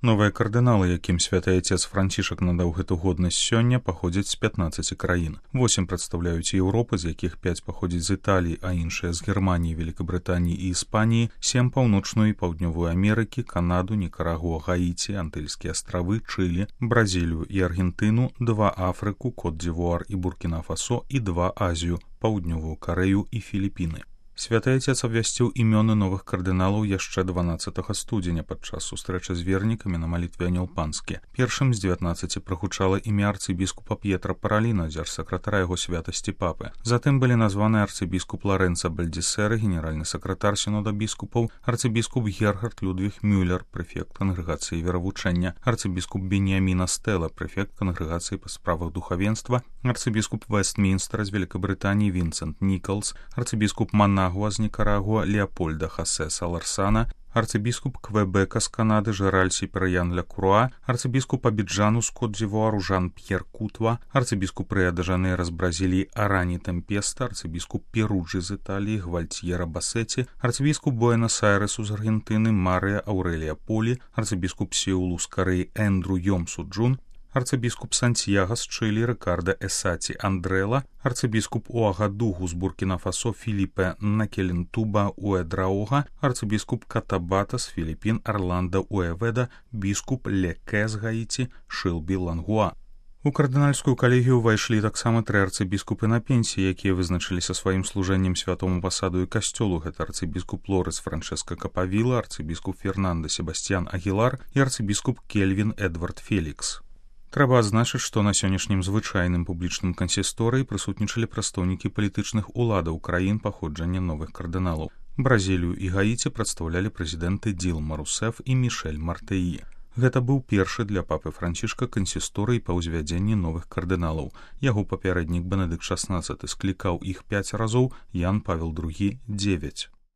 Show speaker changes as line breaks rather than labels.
Новыя кардыналы, якім святы Отец Францішак надаў гэту годнасць сёння, паходзяць з 15 краін. 8 прадстаўляюць Еўропы, з якіх 5 паходзяць з Італіі, а іншыя з Германіі, Великабрытаніі і Іспаніі, 7 паўночную і паўднёвую Амерыкі, Канаду, Нікарагуа, Гаіці, Антыльскія астравы, Чылі, Бразілію і Аргентыну, 2 Афрыку, Кот-д'Івуар і Буркіна-Фасо і 2 Азію, Паўднёвую Карэю і Філіпіны. Святы Отец абвясціў імёны новых кардыналаў яшчэ 12 студзеня падчас сустрэчы з вернікамі на малітве Анёл Панскі. Першым з 19 прагучала імя арцыбіскупа П'етра Параліна, дзяржсакратара яго святасці папы. Затым былі названы арцыбіскуп Ларэнца Бальдзісеры, генеральны сакратар сінода біскупаў, арцыбіскуп Герхард Людвіг Мюллер, прэфект кангрэгацыі веравучэння, арцыбіскуп Беніямін Стэла, прэфект кангрэгацыі па справах духавенства, арцыбіскуп Вестмінстера з Великабрытаніі Вінсент Нікалс, арцыбіскуп Манагуа з Нікарагуа Леапольда Хасе Саларсана, арцыбіскуп Квебека з Канады Жераль Сіперян Ля-Круа, арцыбіскуп Абіджану з Кот-д'Івуару Жан-П'ер Кутва, арцыбіскуп Рыа-де-Жанейра з Бразіліі Арані Тэмпеста, арцыбіскуп Перуджы з Італіі Гвальтьера Басеці, арцыбіскуп Буэнос-Айрэсу з Аргентыны Марыя Аўрэлія Полі, арцыбіскуп Сеулу з Карэі Эндру Йомсу Джун, арцыбіскуп Сантьяга з Чылі Рикарда Эсаці Андрэла, арцыбіскуп Уагадугу з Буркіна-Фасо Філіпе Накелентуба Уэдраога, арцыбіскуп Катабата з Філіпін Арланда Уэведа, біскуп Леке з Гаіці Шылбі Лангуа. У кардынальскую калегію ўвайшлі таксама 3 арцыбіскупы на пенсіі, якія вызначыліся сваім служэннем святому пасаду і касцёлу. Гэта арцыбіскуп Лорес Франческа Капавіла, арцыбіскуп Фернандо Себастьян Агілар і арцыбіскуп Кельвін Эдвард Фелікс. Трэба адзначыць, што на сённяшнім звычайным публічным кансісторыі прысутнічалі прадстаўнікі палітычных уладаў краін паходжання новых кардыналаў. Бразілію і Гаіці прадстаўлялі прэзідэнты Ділма Русеф і Мішэль Мартэі. Гэта быў першы для папы Францішка кансісторый па ўзвядзенні новых кардыналаў. Яго папярэднік Бенедыкт XVI склікаў іх 5 разоў, Ян Павел II – 9.